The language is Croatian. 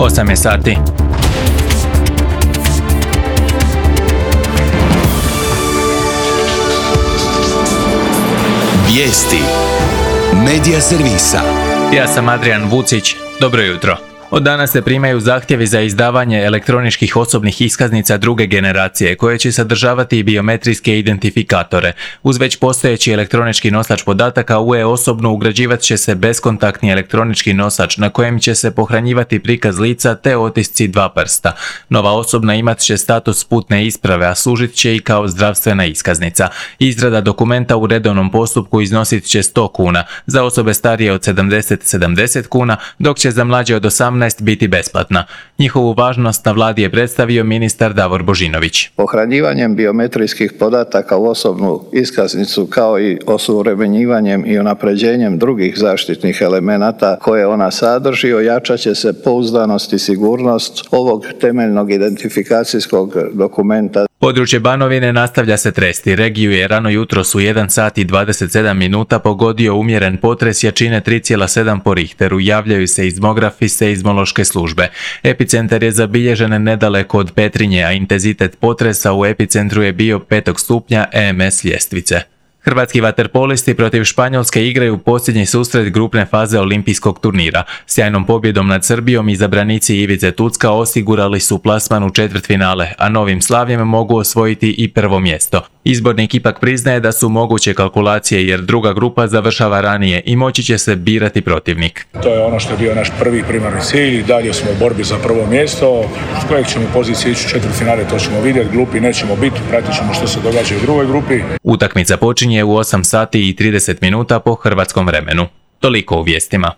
8 je sati. Vijesti Medija servisa. Ja sam Adrian Vucić. Dobro jutro. Od danas se primaju zahtjevi za izdavanje elektroničkih osobnih iskaznica druge generacije, koje će sadržavati i biometrijske identifikatore. Uz već postojeći elektronički nosač podataka u e-osobnu ugrađivat će se beskontaktni elektronički nosač na kojem će se pohranjivati prikaz lica te otisci dva prsta. Nova osobna imat će status putne isprave, a služit će i kao zdravstvena iskaznica. Izrada dokumenta u redovnom postupku iznosit će 100 kuna, za osobe starije od 70 kuna, dok će za mlađe od 18 biti besplatna. Njihovu važnost na vladi je predstavio ministar Davor Božinović. Pohranjivanjem biometrijskih podataka u osobnu iskaznicu kao i osuvremenjivanjem i unapređenjem drugih zaštitnih elemenata koje ona sadrži, ojačat će se pouzdanost i sigurnost ovog temeljnog identifikacijskog dokumenta. Područje Banovine nastavlja se tresti. Regiju je rano jutros u 1 sat i 27 minuta pogodio umjeren potres jačine 3,7 po Richteru, javljaju se seizmografi seizmološke službe. Epicentar je zabilježen nedaleko od Petrinje, a intenzitet potresa u epicentru je bio 5. stupnja EMS ljestvice. Hrvatski vaterpolisti protiv Španjolske igraju posljednji susret grupne faze olimpijskog turnira. Sjajnom pobjedom nad Srbijom izabranici Ivice Tucka osigurali su plasman u četvrtfinale, a novim slavljem mogu osvojiti i prvo mjesto. Izbornik ipak priznaje da su moguće kalkulacije jer druga grupa završava ranije i moći će se birati protivnik. To je ono što je bio naš primarni cilj, dalje smo u borbi za prvo mjesto, s kojeg ćemo pozicije ići u četvrtfinale, to ćemo vidjeti, glupi nećemo biti, pratit ćemo što se događa u drugoj grupi. Utakmica počinje u 8 sati i 30 minuta po hrvatskom vremenu. Toliko u vijestima.